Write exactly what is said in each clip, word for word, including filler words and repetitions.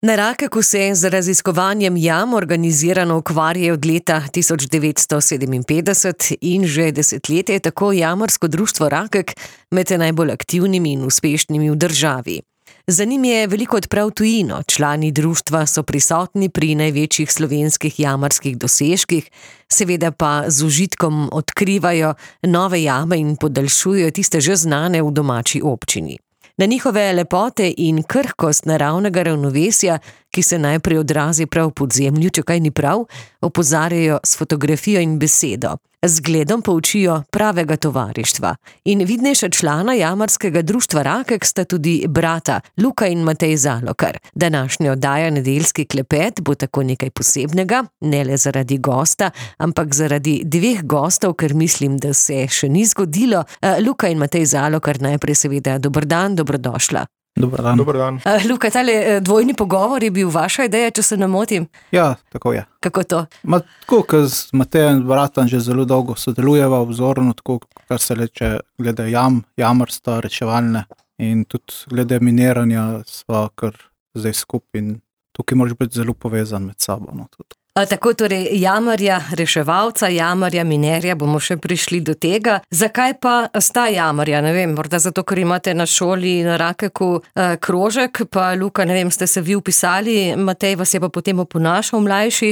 Na Rakeku se z raziskovanjem jam organizirano ukvarjajo od leta tisoč devetsto sedeminpetdeset in že desetletje je tako jamarsko društvo Rakek med najbolj aktivnimi in uspešnimi v državi. Za njim je veliko odprav tujino, člani društva so prisotni pri največjih slovenskih jamarskih dosežkih, seveda pa z užitkom odkrivajo nove jame in podaljšujejo tiste že znane v domači občini. Na njihove lepote in krhkost naravnega ravnovesja, ki se najprej odrazi prav v podzemlju, če kaj ni prav, opozarjajo s fotografijo in besedo. Z gledom poučijo pravega tovarištva. In vidnejša člana jamarskega društva Rakek sta tudi brata Luka in Matej Zalokar. Današnja oddaja Nedeljski klepet bo tako nekaj posebnega, ne le zaradi gosta, ampak zaradi dveh gostov, ker mislim, da se še ni zgodilo. Luka in Matej Zalokar, najprej seveda dober dan, dobrodošla. Dobar dan. Dobar dan. Uh, Luka, tale dvojni pogovor je bil vaša ideja, če se ne motim? Ja, tako je. Kako to? Ma, tako, ker z Matejem in bratom že zelo dolgo sodelujeva vzorno, tako, kar se leče glede jam, jamarstva, reševalne in tudi glede miniranja sva kar zdaj skupaj in tukaj moraš biti zelo povezan med sabo. No, tudi. A, tako torej jamarja, reševalca, jamarja, minerja, bomo še prišli do tega. Zakaj pa sta jamarja? Ne vem, morda zato, ker imate na šoli na Rakeku eh, krožek, pa Luka, ne vem, ste se vi upisali, Matej vas je pa potem oponašal mlajši.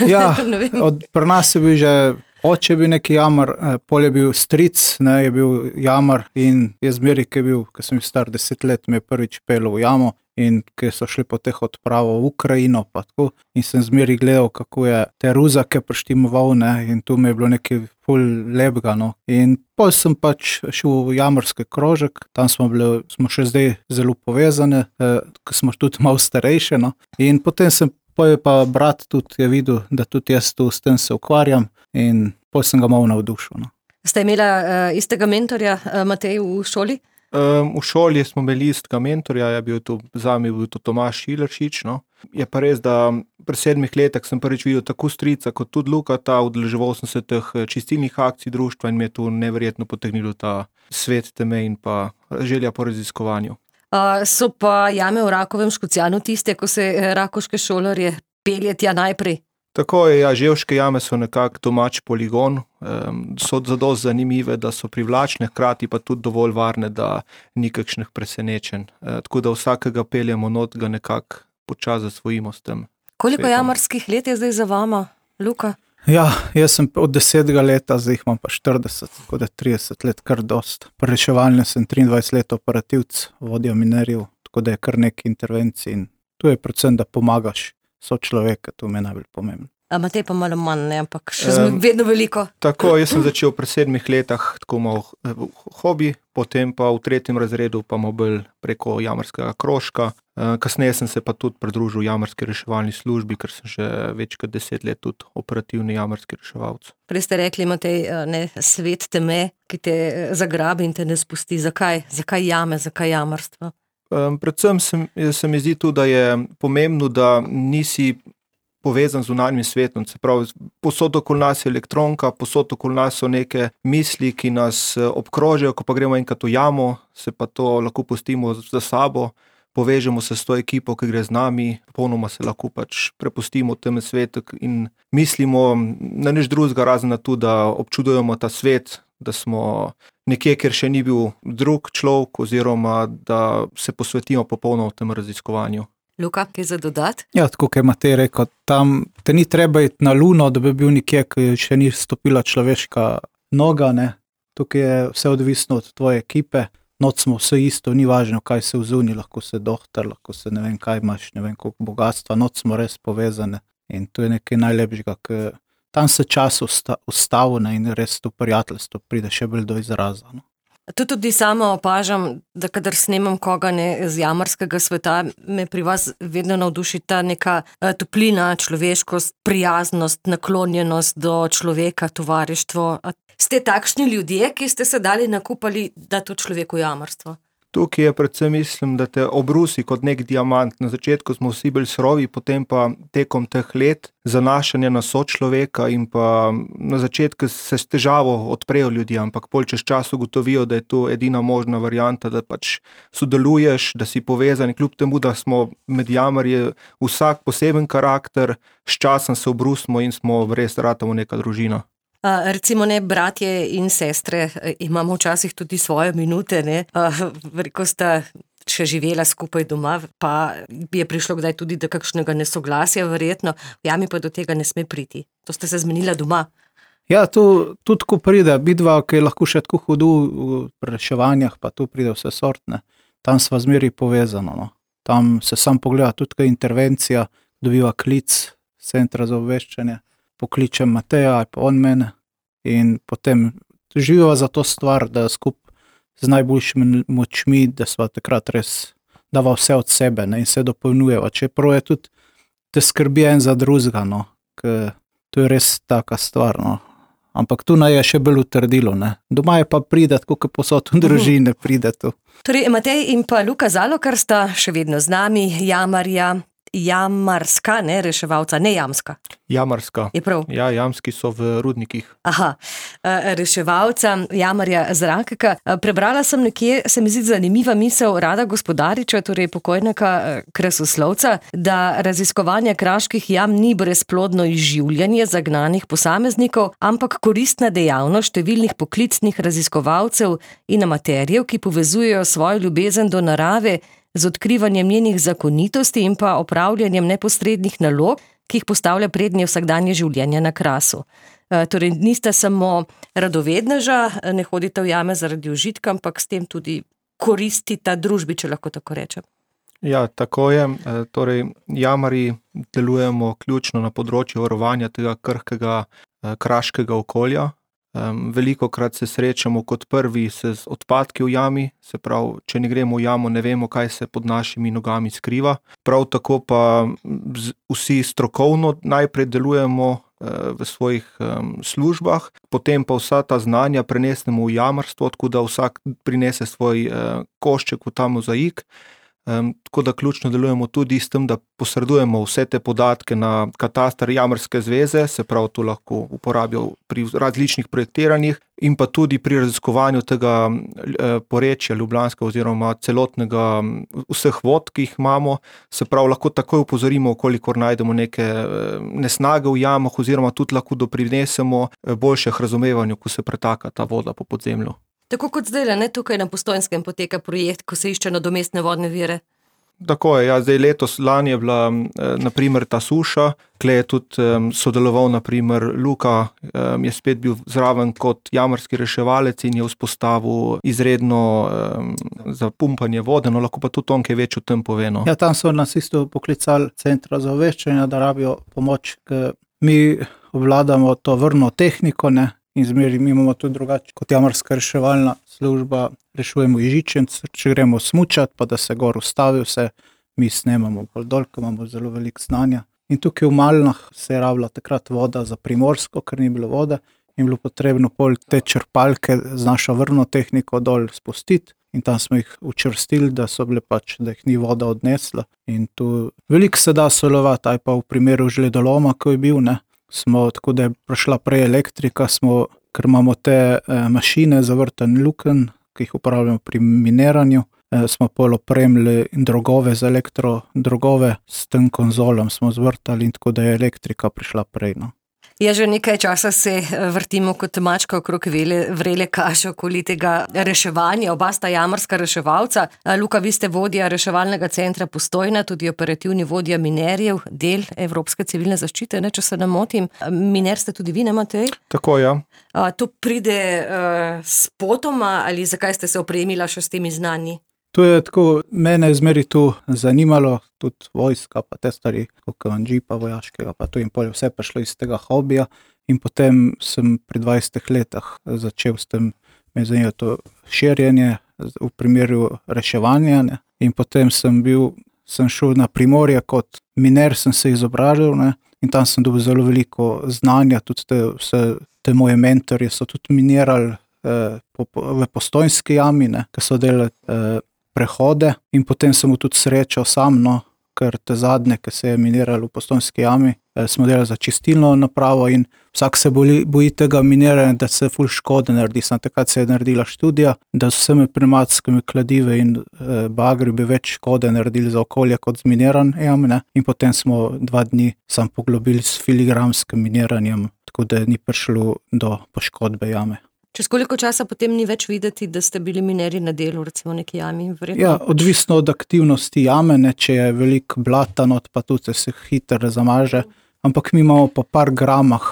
Ja, od, pri nas je bil že oče je bil neki jamar, eh, pol je bil stric, ne, je bil jamar in je zmeri, ki je bil, ko sem star deset let, me je prvič pel v jamo. In ki so šli po teh odpravo v Ukrajino, pa tako, in sem zmeri gledal, kako je te ruzake prištimoval, ne, in tu mi je bilo nekaj ful lepega, no. In pol sem pač šel v jamarski krožek, tam smo bili, smo še zdaj zelo povezane, eh, ko smo tudi malo starejše, no. In potem sem, pol je pa brat tudi je videl, da tudi jaz tu s tem se ukvarjam in pol sem ga malo navdušil, no. Ste imela uh, istega mentorja, uh, Matej, v šoli? Um, v šoli smo imeli istega mentorja, je bil to, zame bil to Tomaž Šileršič, no. Je pa res, da pri sedmih letih sem prvič videl tako strica kot tudi Lukata, udeleževal sem se teh čistilnih akcij društva in me je tu neverjetno potegnilo ta svet teme in pa želja po raziskovanju. Uh, so pa jame v Rakovem Škocjanu tiste, ko se rakoške šolarje pelje tja najprej? Tako je, ja, ževške jame so nekak domač poligon, um, so zadost zanimive, da so privlačne, hkrati pa tudi dovolj varne, da ni kakšnih presenečenj. E, tako da vsakega peljemo not, ga nekak počas zasvojimo s tem. Koliko svetom. jamarskih let je zdaj za vama, Luka? Ja, jaz sem od desetega leta, zdaj jih imam pa štirideset, tako da trideset let kar dost. Pri reševalnem sem triindvajset let operativc, vodja minerjev, tako da je kar nekaj intervencij in tu je predvsem, da pomagaš so človeka, to mi je najbolj pomembno. A Matej pa malo manj, ne, ampak še um, vedno veliko. Tako, jaz sem začel pri sedmih letah tako malo hobi, potem pa v tretjem razredu pa malo bolj preko jamarskega krožka. Kasneje sem se pa tudi pridružil jamarski reševalni službi, ker sem že več kot deset let tudi operativni jamarski reševalc. Prej ste rekli, Matej, ne, svet teme, ki te zagrabi in te ne spusti. Zakaj? Zakaj jame, zakaj jamarstvo? Um, predvsem se, se mi zdi tudi, da je pomembno, da nisi povezan z zunanjim svetom. Se pravi, posod okoli nas je elektronka, posod okoli nas so neke misli, ki nas obkrožajo, ko pa gremo enkrat v jamo, se pa to lahko pustimo za sabo, povežemo se s to ekipo, ki gre z nami, popolnoma se lahko pač prepustimo v tem svetu in mislimo na nič drugega, razen na to, da občudujemo ta svet, da smo nekje, kjer še ni bil drug človek, oziroma da se posvetimo popolno v tem raziskovanju. Luka, kaj za dodat? Ja, tako kot je Matej rekel, tam te ni treba iti na luno, da bi bil nekje, ki še ni stopila človeška noga, ne. Tukaj je vse odvisno od tvoje ekipe, noč smo vse isto, ni važno, kaj se vzuni, lahko se dohtar, lahko se ne vem kaj imaš, ne vem koliko bogatstva, noč smo res povezane in to je nekaj najlepšega, ker tam se čas usta, ustavne in res to prijateljstvo pride še bolj do izraza. No. To tudi sama opažam, da kadar snemam koga ne, z jamarskega sveta, me pri vas vedno navduši ta neka uh, toplina, človeškost, prijaznost, naklonjenost do človeka, tovarištvo. A ste takšni ljudje, ki ste se dali nakupali, da to človeku jamarstvo? Tukaj je predvsem mislim, da te obrusi kot nek diamant. Na začetku smo vsi bili surovi, potem pa tekom teh let zanašanja na sočloveka in pa na začetku se s težavo odprejo ljudje, ampak pol čez čas ugotovijo, da je to edina možna varianta, da pač sodeluješ, da si povezan, kljub temu, da smo med jamarji vsak poseben karakter, s časom se obrusimo in smo res ratamo neka družina. Uh, recimo ne, bratje in sestre, imamo včasih tudi svoje minute, ne, uh, ko sta še živela skupaj doma, pa je prišlo kdaj tudi do kakšnega nesoglasja, verjetno, v jami pa do tega ne sme priti. To ste se zmenila doma. Ja, tu tudi ko pride, bidva, ki je lahko še tako hudu v reševanjah, pa tu pride vse sortne, tam sva zmeri povezano, no. Tam se sam pogleda tudi kaj intervencija, dobiva klic centra za obveščanje, pokličem Mateja, ali pa on mene in potem živiva za to stvar, da skup z najboljšimi močmi, da sva takrat res dava vse od sebe, ne, in se dopolnjujeva. Čeprav je tudi, da skrbi en za drugega, no, ker to je res taka stvar, no. Ampak tu naj je še bolj utrdilo, ne. Doma je pa pride, tako kot posod v družine pride tu. Torej, Matej in pa Luka Zalokar sta še vedno z nami, jamarja, jamarska, ne, reševalca, ne jamska. Jamarska. Je prav? Ja, jamski so v rudnikih. Aha, reševalca, jamarja Zrakeka. Prebrala sem nekje, se mi zdi zanimiva misel Rada Gospodariča, torej pokojnega krasoslovca, da raziskovanje kraških jam ni brezplodno izživljanje zagnanih posameznikov, ampak koristna dejavnost številnih poklicnih raziskovalcev in amaterjev, ki povezujejo svojo ljubezen do narave z odkrivanjem njenih zakonitosti in pa opravljanjem neposrednih nalog, ki jih postavlja prednje vsakdanje življenje na Krasu. E, torej, niste samo radovedneža, ne hodite v jame zaradi užitka, ampak s tem tudi koristita družbi, če lahko tako rečem. Ja, tako je. E, torej, jamarji delujemo ključno na področju varovanja tega krhkega e, kraškega okolja. Um, veliko krat se srečamo kot prvi se z odpadki v jami, se pravi, če ne gremo v jamo, ne vemo, kaj se pod našimi nogami skriva. Prav tako pa z, vsi strokovno najprej delujemo uh, v svojih um, službah, potem pa vsa ta znanja prenesemo v jamarstvo, tako da vsak prinese svoj uh, košček v ta mozaik. Um, tako da ključno delujemo tudi s tem, da posredujemo vse te podatke na kataster Jamarske zveze, se pravi, to lahko uporabijo pri različnih projektiranjih in pa tudi pri raziskovanju tega eh, porečja Ljubljanskega oziroma celotnega vseh vod, ki jih imamo, se pravi, lahko takoj upozorimo, kolikor najdemo neke eh, nesnage v jamah oziroma tudi lahko doprinesemo eh, boljših razumevanju, ko se pretaka ta voda po podzemlju. Tako kot zdaj, ne, tukaj na Postojnskem poteka projekt, ko se išče nadomestne vodne vire. Tako je, ja, zdaj letos, lani je bila eh, naprimer ta suša, kle je tudi eh, sodeloval naprimer Luka, eh, je spet bil zraven kot jamarski reševalec in je vzpostavil izredno eh, za pumpanje vode, no lahko pa tudi on kaj več o tem pove. No. Ja, tam so nas isto poklicali centra za obveščanje, da rabijo pomoč, ker mi obvladamo to vrno tehniko, ne, in zmeri mi imamo tudi drugače kot jamarska reševalna služba, rešujemo Ižičenc, če gremo smučati, pa da se gor ustavi vse, mi snemamo bolj dol, ker imamo zelo veliko znanja. In tukaj v Malnah se je rabila takrat voda za Primorsko, ker ni bilo vode, in bilo potrebno pol te črpalke z našo vrno tehniko dol spustiti. In tam smo jih učvrstili, da so bile pač, da jih ni voda odnesla. In tu veliko se da sodelovati, aj pa v primeru žledoloma, ko je bil, ne. Smo, tako da je prišla prej elektrika, smo, ker imamo te eh, mašine za vrtanje lukenj, ki jih uporabljamo pri miniranju, eh, smo pol opremili drogove za elektro, drogove s tem konzolom smo zvrtali in tako da je elektrika prišla prej, no. Ja, že nekaj časa se vrtimo kot mačka okrog vele, vrele kaše okoli tega reševanja, oba sta jamarska reševalca. Luka, vi ste vodja reševalnega centra Postojna, tudi operativni vodja minerjev, del Evropske civilne zaščite, ne, če se ne motim. Miner ste tudi vi, ne, Matej? Tako, ja. A, to pride uh, spotoma ali zakaj ste se opremila še s temi znanji? To je tako, mene je zmeri tu zanimalo, tudi vojska, pa te stvari, kot džipa vojaškega, pa to in pol vse prišlo iz tega hobija in potem sem pri dvajsetih letih začel s tem, me zanima to širjenje v primeru reševanja, ne. In potem sem bil, sem šel na Primorje kot miner, sem se izobražil, ne, in tam sem dobil zelo veliko znanja, tudi te, vse te moje mentorje so tudi minirali eh, po, po, v Postojnski jami, ne, ki so delali eh, prehode in potem sem tudi srečal sam, no, ker te zadnje, ki se je miniralo v Postojnski jami, smo delali za čistilno napravo in vsak se boji, boji tega miniranja, da se ful škode naredi. Sam takrat se je naredila študija, da s vsemi pnevmatskimi kladive in e, bagri bi več škode naredili za okolje kot z miniran jam, ne? In potem smo dva dni sam poglobili s filigramskim miniranjem, tako da ni prišlo do poškodbe jame. Čez koliko časa potem ni več videti, da ste bili minerji na delu, recimo neki jami? Verjetno? Ja, odvisno od aktivnosti jame, ne, če je veliko blata not, pa tudi se hitro zamaže, ampak mi imamo po par gramah,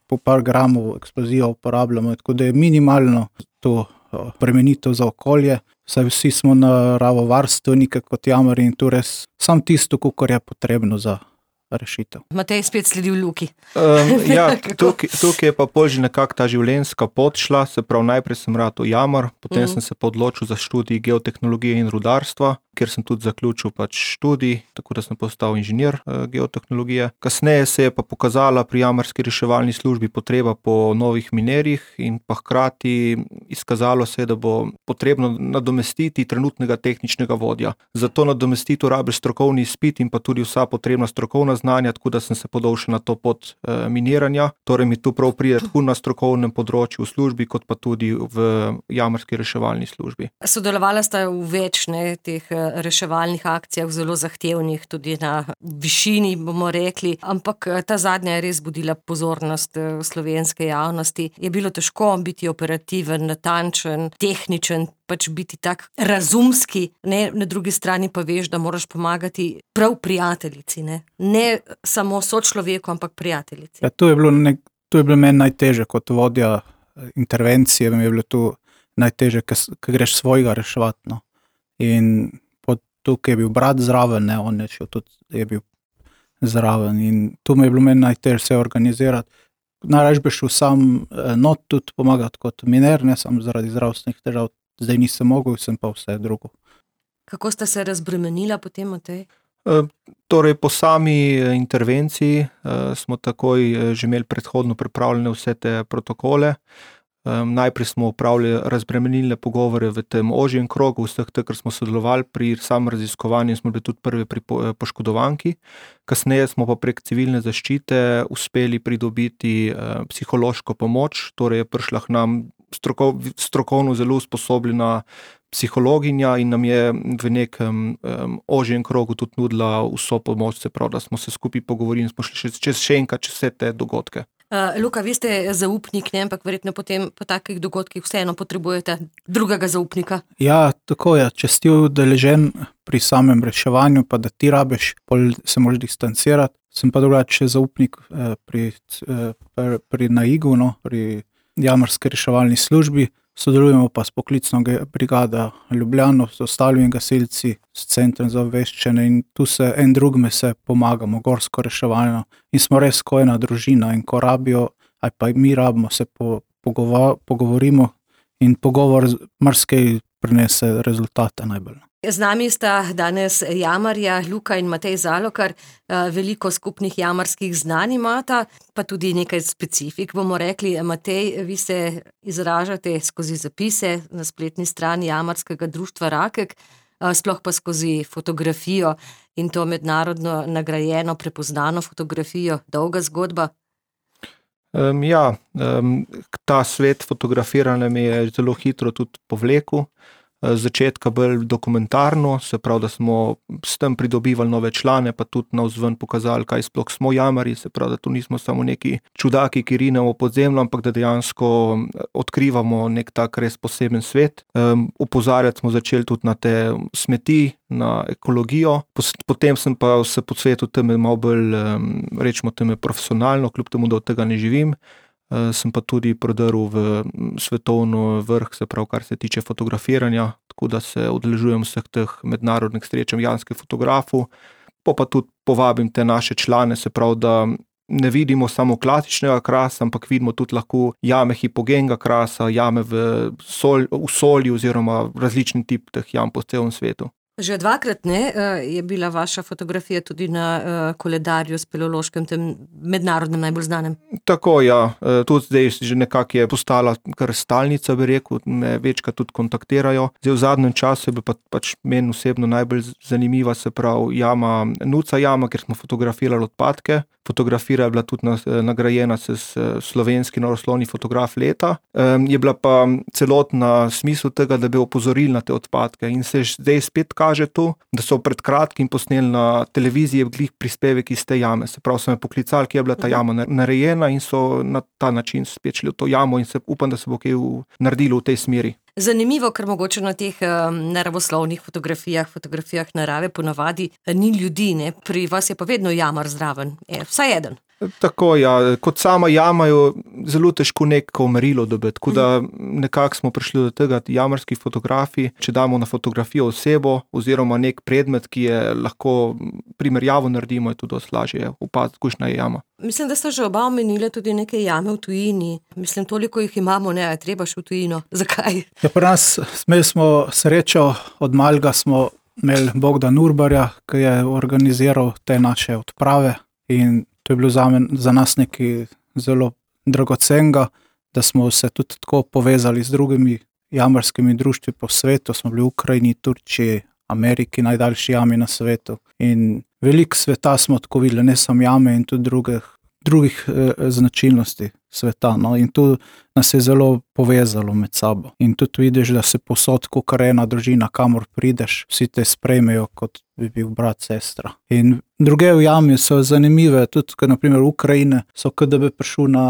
po par gramov eksplozijo uporabljamo, tako da je minimalno to premenitev za okolje, saj vsi smo naravovarstveniki kot jamarji in tu res sam tisto, kakor je potrebno za rešitev. Matej spet sledi v Luki. Um, ja, tukaj, tukaj je pa pol že nekako ta življenjska pot šla, se pravi najprej sem ratal jamar, potem mm. sem se pa odločil za študij geotehnologije in rudarstva, kjer sem tudi zaključil pač študij, tako da sem postal inženir uh, geotehnologije. Kasneje se je pa pokazala pri jamarski reševalni službi potreba po novih minerjih in pa hkrati izkazalo se je, da bo potrebno nadomestiti trenutnega tehničnega vodja. Zato nadomestiti rabiš strokovni izpit in pa tudi vsa potrebna strokovna znanja, tako da sem se podal še na to pot e, miniranja. Torej mi tu prav pride tako na strokovnem področju v službi, kot pa tudi v jamarski reševalni službi. Sodelovala sta v več ne, teh reševalnih akcijah, zelo zahtevnih, tudi na višini, bomo rekli, ampak ta zadnja je res budila pozornost slovenske javnosti. Je bilo težko biti operativen, natančen, tehničen, pač biti tak razumski, ne, na drugi strani pa veš, da moraš pomagati prav prijateljici, ne, ne samo sočloveku, ampak prijateljici. Ja, to je bilo, nek, to je bilo meni najteže kot vodja intervencije, mi je bilo tu najteže, ker greš svojega reševati, no. In tukaj je bil brat zraven, ne, on je šel tudi, je bil zraven in tu mi je bilo meni najteže se organizirati. Najraž bi šel sam not tudi pomagati kot miner, ne sam zaradi zdravstvenih težav, zdaj nisem mogel, sem pa vse drugo. Kako sta se razbremenila potem, Matej? E, torej, po sami intervenciji e, smo takoj že imeli predhodno pripravljene vse te protokole. Um, najprej smo upravili razbremenilne pogovore v tem ožjem krogu, vseh te, ker smo sodelovali pri samem raziskovanju, smo bili tudi prvi pri po, poškodovanki. Kasneje smo pa prek civilne zaščite uspeli pridobiti uh, psihološko pomoč, torej je prišla k nam strokov, strokovno zelo usposobljena psihologinja in nam je v nekem um, ožjem krogu tudi nudila vso pomoč, se pravi, da smo se skupaj pogovorili in smo šli še, čez še enkrat čez vse te dogodke. Uh, Luka, vi ste zaupnik, ne, ampak verjetno potem po takih dogodkih vseeno potrebujete drugega zaupnika. Ja, tako je, če si udeležen pri samem reševanju, pa da ti rabiš, pol se moraš distancirati. Sem pa drugače zaupnik eh, pri, eh, pri, pri naigu, no, pri jamarski reševalni službi. Sodelujemo pa s poklicno brigado Ljubljano, s ostalimi gasilci, s centrom za obveščanje in tu se en drugme se pomagamo, gorsko reševalno in smo res ko ena družina in ko rabijo, ali pa mi rabimo, se po, pogovo, pogovorimo in pogovor marsikaj prinese rezultate najbolj. Z nami sta danes jamarja Luka in Matej Zalokar, veliko skupnih jamarskih znanj imata, pa tudi nekaj specifik, bomo rekli. Matej, vi se izražate skozi zapise na spletni strani jamarskega društva Rakek, sploh pa skozi fotografijo in to mednarodno nagrajeno, prepoznano fotografijo, dolga zgodba. Um, ja, um, ta svet fotografiranja me je zelo hitro tudi povlekel. Začetka bolj dokumentarno, se pravi, da smo s tem pridobivali nove člane, pa tudi navzven pokazali, kaj sploh smo jamarji, se pravi, da tu nismo samo neki čudaki, ki rinemo pod zemljo, ampak da dejansko odkrivamo nek tak res poseben svet. Um, opozarjati smo začeli tudi na te smeti, na ekologijo, potem sem pa se po svetu teme malo bolj, um, rečemo teme profesionalno, kljub temu, da od tega ne živim. Uh, sem pa tudi prodrl v svetovno vrh, se pravi, kar se tiče fotografiranja, tako da se udeležujem vseh teh mednarodnih srečanj jamarskih fotografov, pa pa tudi povabim te naše člane, se pravi, da ne vidimo samo klasičnega krasa, ampak vidimo tudi lahko jame hipogenega krasa, jame v, sol, v soli oziroma različni tip teh jam po celem svetu. Že dvakrat ne, je bila vaša fotografija tudi na koledarju speleološkem, tem mednarodnem najbolj znanem. Tako, ja. Tudi zdaj že nekako je postala kar stalnica, bi rekel, me večkrat tudi kontaktirajo. Zdaj v zadnjem času je bila pa, pač meni osebno najbolj zanimiva, se pravi jama, Nuca jama, kjer smo fotografirali odpadke. Fotografija je bila tudi nagrajena s slovenski naravoslovni fotograf leta. Je bila pa celotna smisel tega, da bi opozorili na te odpadke in se zdaj spet kaže to, da so pred kratkim posneli na televiziji glih prispevek iz te jame. Se pravi, so me poklicali, kje je bila ta jama narejena in so na ta način spet šli v to jamo in se upam, da se bo kaj naredilo v tej smeri. Zanimivo, ker mogoče na teh um, naravoslovnih fotografijah, fotografijah narave ponavadi ni ljudi, ne? Pri vas je pa vedno jamar zraven, je vsaj eden. Tako, ja, kot sama jama je zelo težko neko merilo dobiti, tako da nekako smo prišli do tega, jamarski fotografi, če damo na fotografijo osebo oziroma nek predmet, ki je lahko primerjavo naredimo, je tudi dosti lažje opaziti, kakšna je jama. Mislim, da ste že oba omenili tudi neke jame v tujini. Mislim, toliko jih imamo, ne, treba še v tujino. Zakaj? Ja, pri nas imeli smo srečo, od malega smo imeli Bogdan Urbarja, ki je organiziral te naše odprave in to je bilo za, men, za nas nekaj zelo dragocenega, da smo se tudi tako povezali z drugimi jamarskimi društvi po svetu. Smo bili v Ukrajini, Turčiji, Ameriki, najdaljši jami na svetu. In veliko sveta smo tako videli, ne samo jame in tudi drugih, drugih eh, značilnosti sveta. No? In tu nas je zelo povezalo med sabo. In tudi vidiš, da se posod, kakor ena družina, kamor prideš, vsi te sprejmejo, kot bi bil brat, sestra. In druge v jami so zanimive, tudi, kot naprimer Ukrajine, so kot da bi prišel na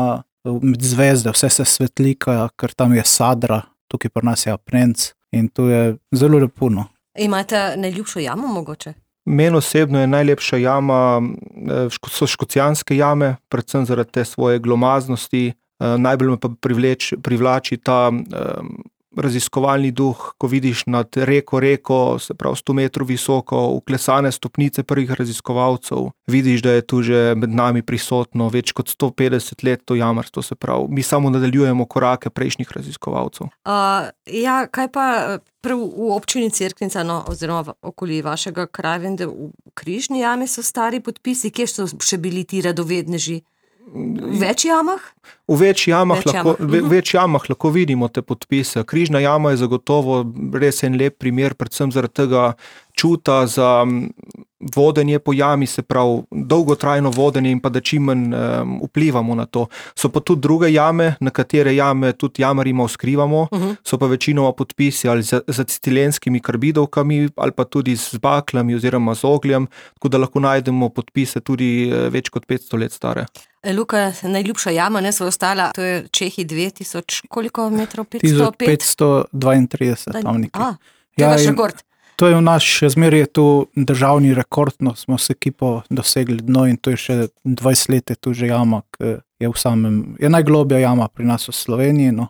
med zvezde, vse se svetlika, ker tam je Sadra, tukaj pri nas je Apnenc in to je zelo lepo. No. Imate najljubšo jamo mogoče? Meni osebno je najlepša jama, so škocjanske jame, predvsem zaradi te svoje glomaznosti. Najbolj me pa privleč, privlači ta um, raziskovalni duh, ko vidiš nad reko reko, se pravi sto metrov visoko, uklesane stopnice prvih raziskovalcev. Vidiš, da je tu že med nami prisotno več kot sto petdeset let to jamarstvo, se pravi. Mi samo nadaljujemo korake prejšnjih raziskovalcev. Uh, ja, kaj pa prav v občini Cerknica, no, oziroma okoli vašega kraja, vem, da v Križni jami so stari podpisi, kje so še bili ti radovedneži? V več jamah? V več jamah, več lahko, jamah. ve, več jamah lahko vidimo te podpise. Križna jama je zagotovo res en lep primer, predvsem zaradi tega čuta za vodenje po jami, se pravi dolgotrajno vodenje in pa da čim manj um, vplivamo na to. So pa tudi druge jame, na katere jame tudi jamarima skrivamo, uh-huh. so pa večinoma podpisi ali z acetilenskimi karbidovkami ali pa tudi z baklami oziroma z ogljem, tako da lahko najdemo podpise tudi več kot petsto let stare. Luka, najljubša jama, ne, so ostala, to je Čehi dve tisoč, koliko metrov? petsto pet? petsto dvaintrideset, tam nekaj. A, to je vaš rekord. To je v naš, še zmeraj je tu državni rekord, no, smo s ekipo dosegli dno in to je še dvajset let je tu že jama, ki je v samem, je najglobja jama pri nas v Sloveniji, no,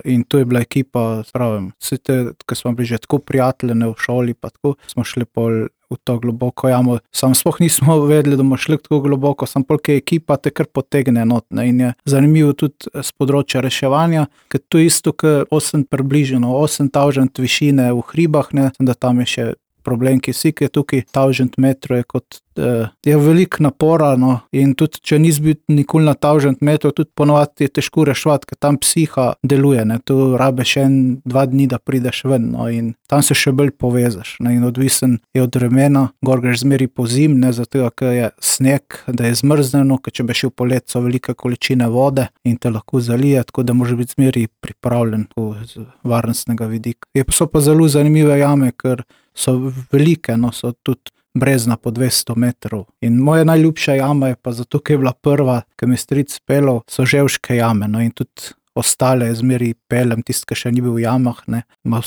in to je bila ekipa, pravim, vsi te, ki smo bili že tako prijateljene v šoli, pa tako smo šli pol v to globoko jamo, sam sploh nismo vedeli, da bomo šli tako globoko, sam polk je ekipa te kar potegne not, ne, in je zanimivo tudi z področja reševanja, ker to isto, ker osem približeno, osem tavžent višine v hribah, ne, da tam je še problem, ki si, ki je tukaj tavžent metrov, je kot, eh, je veliko napora, no, in tudi, če nisi bil nikoli na tavžent metrov, tudi ponovadi je težko reševati, ker tam psiha deluje, ne, tu rabeš en, dva dni, da prideš ven, no, in tam se še bolj povezaš, ne, in odvisen je od vremena, gor greš zmeri po zim, ne, zato, ker je sneg, da je zmrzneno, ker če bi šel po let, so velike količine vode in te lahko zalije, tako da moraš biti zmeri pripravljen z varnostnega vidika. Je pa so pa zelo zanimive jame, ker so velike, no, so tudi brezna po dvesto metrov. In moja najljubša jama je pa zato, ker je bila prva, ki mi stric pelal, so Ževške jame, no, in tudi ostale zmeri pelem, tist, ki še ni bil v jamah, ne. Ma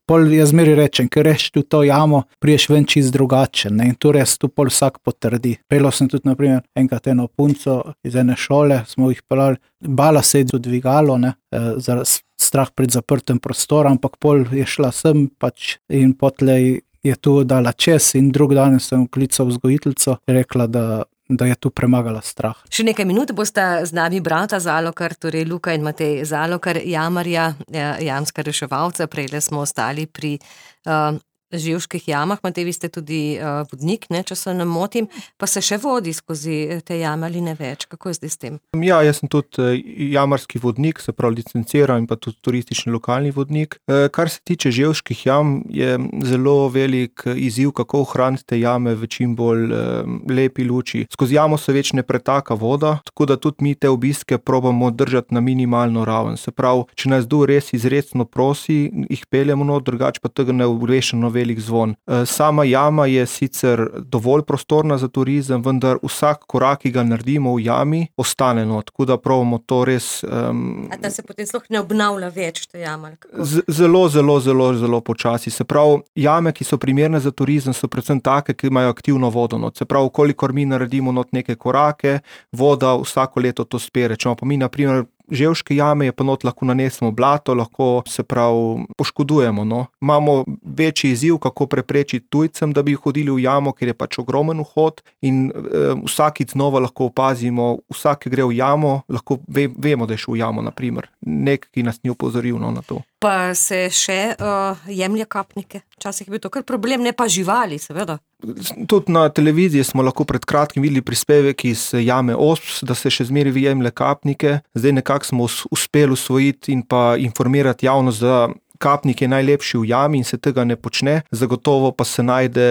pol jaz zmeri rečem, ker reš tu to jamo, priješ ven čist drugačen, ne, in tu res tu pol vsak potrdi. Pelal sem tudi, naprimer, enkrat eno punco iz ene šole, smo jih pelali, bala se je dvigalo, ne, zaradi strah pred zaprtem prostorom, ampak pol je šla sem pač in potlej je tu dala čez in drug dan sem klical vzgojiteljico, rekla, da, da je tu premagala strah. Še nekaj minut bosta z nami brata Zalokar, torej Luka in Matej Zalokar, jamarja, jamska reševalca, prejle smo ostali pri uh, Ževških jamah, Matej, vi ste tudi uh, vodnik, ne, če se ne motim, pa se še vodi skozi te jame ali ne več. Kako je zdaj s tem? Ja, jaz sem tudi jamarski vodnik, se pravi licenciran in pa tudi turistični lokalni vodnik. Kar se tiče ževških jam, je zelo velik izziv, kako ohraniti te jame v čim bolj lepi luči. Skozi jamo se več ne pretaka voda, tako da tudi mi te obiske probamo držati na minimalno raven. Se pravi, če nas kdo res izrecno prosi, jih peljemo not, drugače pa tega ne ogrešeno velik zvon. Sama jama je sicer dovolj prostorna za turizem, vendar vsak korak, ki ga naredimo v jami, ostane not, tako da probamo to res... Um, A ta se potem sploh ne obnavlja več, to jama? Z, zelo, zelo, zelo, zelo počasi. Se pravi, jame, ki so primerne za turizem, so predvsem take, ki imajo aktivno vodo not. Se pravi, kolikor mi naredimo not neke korake, voda vsako leto to spere. Če pa mi, na primer, ževške jame, je pa not lahko nanesemo blato, lahko se pravi poškodujemo. No. Imamo večji izziv, kako preprečiti tujcem, da bi hodili v jamo, ker je pač ogromen vhod in e, vsakič znova lahko opazimo, vsak, ki gre v jamo, lahko ve, vemo, da je šel v jamo, na primer. Nek, ki nas ni opozoril no, na to. Pa se še uh, jemlje kapnike? Včasih je bil to kar problem, ne pa živali, seveda. Tudi na televiziji smo lahko pred kratkim videli prispevek iz jame Osp, da se še zmeraj jemlje kapnike. Zdaj nekako smo uspeli usvojiti in pa informirati javnost, da kapnik je najlepši v jami in se tega ne počne. Zagotovo pa se najde,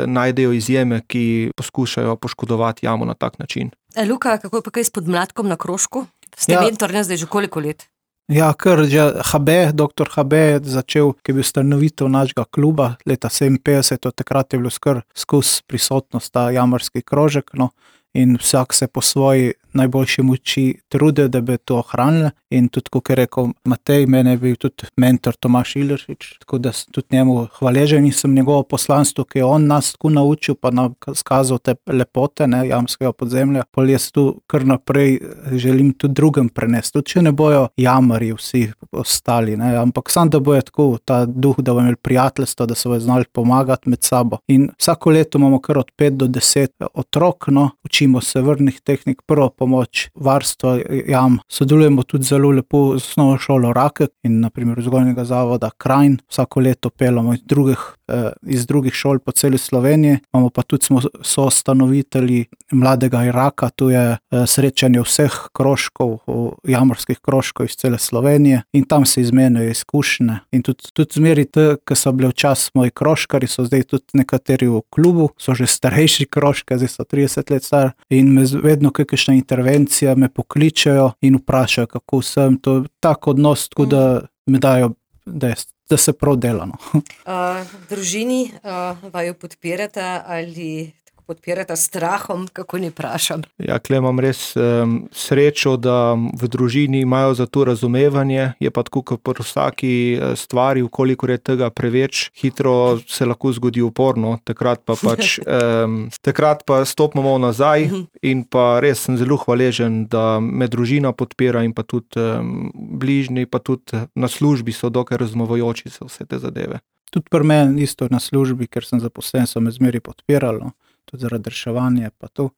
najdejo izjeme, ki poskušajo poškodovati jamo na tak način. E, Luka, kako je pa kaj s podmladkom na Krošku? Ste ja. mentor, ne zdaj že koliko let? Ja, kar že H B, doktor H B je začel, ki je bil ustanovitelj našega kluba leta sedeminpetdeset, od takrat je bilo skr skozi prisotnost ta jamarski krožek, no, in vsak se po svoji najboljši moči trude, da bi to ohranili. In tudi, kot je rekel Matej, mene je bil tudi mentor Tomaž Ileršič, tako da sem tudi njemu hvaležen in sem njegovo poslanstvo, ki je on nas tako naučil, pa nam skazal te lepote, ne, jamskega podzemlja. Pol jaz tu kar naprej želim tudi drugem prenesti, tudi če ne bojo jamari vsi ostali, ne, ampak sam, da bojo tako ta duh, da bojo imeli prijateljstvo, da se bojo znali pomagati med sabo. In vsako leto imamo kar od pet do deset otrok, no, učimo se vrnih tehnik, prvo pomoč, varstvo jam. Sodelujemo tudi zelo lepo z osnovno šolo Rakek in na primer vzgojnega zavoda Krajn. Vsako leto peljamo iz drugih, eh, iz drugih šol po celi Sloveniji. Imamo pa tudi smo soustanovitelji Mladega Iraka, tu je eh, srečanje vseh krožkov, jamarskih krožkov iz cele Slovenije in tam se izmenjajo izkušnje. In tudi, tudi zmeri te, ki so bili včasih moji krožkari, so zdaj tudi nekateri v klubu, so že starejši krožke, zdaj so trideset let star in me vedno kakšna intervencija me pokličejo in vprašajo, kako sem. To je tak odnos, tako da me dajo, da, je, da se prav dela. No. Uh, družini uh, vaju podpirata ali podpirata strahom, kako ne vprašam? Ja, kle imam res um, srečo, da v družini imajo za to razumevanje, je pa tako, kot pri vsaki stvari, ukolikor je tega preveč, hitro se lahko zgodi uporno, takrat pa pač um, takrat pa stopimo nazaj in pa res sem zelo hvaležen, da me družina podpira in pa tudi um, bližnji, pa tudi na službi so dokaj razumavajoči se vse te zadeve. Tudi pri meni isto na službi, ker sem zaposlen, so me zmeri podpirali, tudi zaradi reševanja pa to.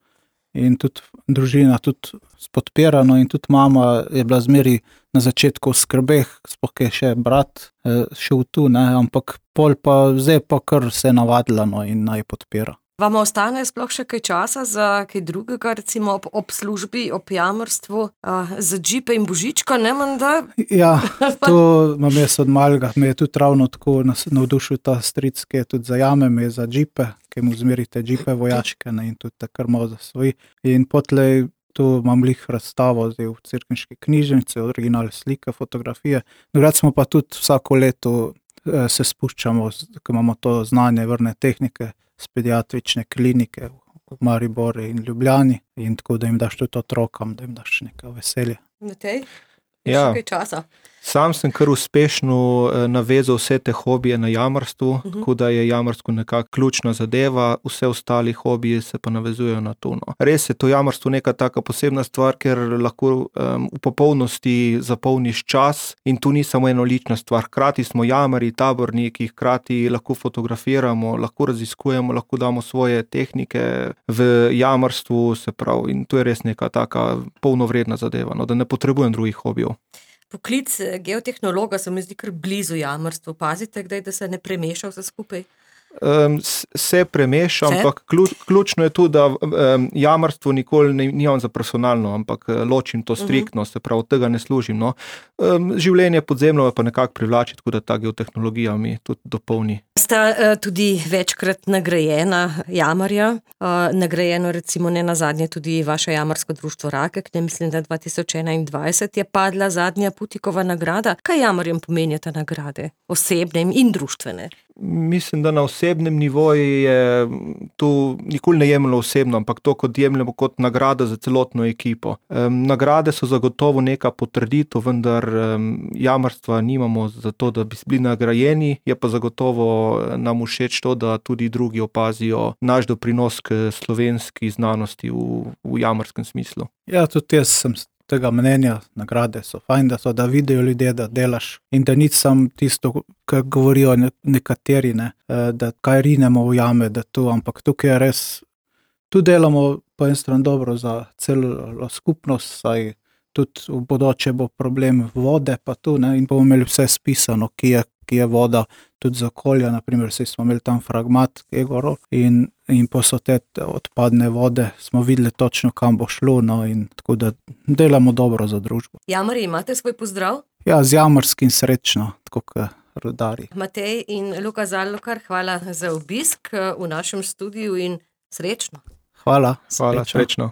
In tudi družina tudi podpirano in tudi mama je bila zmeri na začetku v skrbeh, sploh je še brat eh, šel tu, ne, ampak pol pa zdaj pa kar se je navadila, no, in naj podpira. Vam ostane sploh še kaj časa za kaj drugega, recimo ob, ob službi, ob jamarstvu, uh, za džipe in božička, ne menda? Ja, to imam jaz od malega, me je tudi ravno tako navdušil ta stric, ki je tudi za jame, me je za džipe, ki mu zmerite džipe vojaške, ne, in tudi takar malo zasvoji. In potlej tu imam lih razstavo zdaj v Cerkniški knjižnici, originalne slike, fotografije. Drugače smo pa tudi vsako leto eh, se spuščamo, ko imamo to znanje vrne tehnike, z pediatrične klinike v Mariboru in Ljubljani in tako, da jim daš tudi otrokom, da jim daš nekaj veselja. Matej, ja. Še kaj časa? Sam sem kar uspešno navezal vse te hobije na jamarstvu, uh-huh. tako da je jamarstvo nekako ključna zadeva, vse ostali hobiji se pa navezujejo na to. No. Res je to jamarstvo neka taka posebna stvar, ker lahko um, v popolnosti zapolniš čas in tu ni samo enolična stvar. Hkrati smo jamari, taborniki, hkrati lahko fotografiramo, lahko raziskujemo, lahko damo svoje tehnike v jamarstvu, se pravi, in to je res neka taka polnovredna zadeva, no, da ne potrebujem drugih hobijev. Poklic geotehnologa se mi zdi kar blizu jamarstvu. Pazite, kdaj, da se ne premeša vse skupaj? Um, se premeša, se? ampak ključ, ključno je tu, da um, jamarstvo nikoli ne, nimam za personalno, ampak ločim to striktno, se pravi, od tega ne služim. No. Um, življenje podzemljo je pa nekako privlači, tako da ta geotehnologija mi tudi dopolni. Sta uh, tudi večkrat nagrajena jamarja, uh, nagrajeno recimo ne nazadnje tudi vaše jamarsko društvo Rakek, ne mislim, da dva tisoč enaindvajset je padla zadnja Putikova nagrada. Kaj jamarjem pomenijo te nagrade, osebne in društvene? Mislim, da na osebnem nivoju je tu nikoli ne jemljeno osebno, ampak to, kot jemljemo kot nagrada za celotno ekipo. Um, nagrade so zagotovo neka potrditev, vendar um, jamarstva nimamo za to, da bi bili nagrajeni, je pa zagotovo nam všeč to, da tudi drugi opazijo naš doprinos k slovenski znanosti v, v jamarskem smislu. Ja, tudi jaz sem tega mnenja, nagrade so fajn, da so, da vidijo ljudje, da delaš in da nič sam tisto, kar govorijo nekateri, ne, da kaj rinemo v jame, da tu, ampak tukaj je res, tu delamo po en stran dobro za celo skupnost, saj tudi v bodoče bo problem vode, pa tu, ne, in bomo imeli vse spisano, ki je, ki je voda, tudi za okolje, naprimer, saj smo imeli tam fragmat Egorov in, in pa so te odpadne vode, smo videli točno, kam bo šlo, no, in tako da delamo dobro za družbo. Jamarji, imate svoj pozdrav? Ja, z jamarskim srečno, tako kot rudari. Matej in Luka Zalokar, hvala za obisk v našem studiu in srečno. Hvala. Hvala, srečno.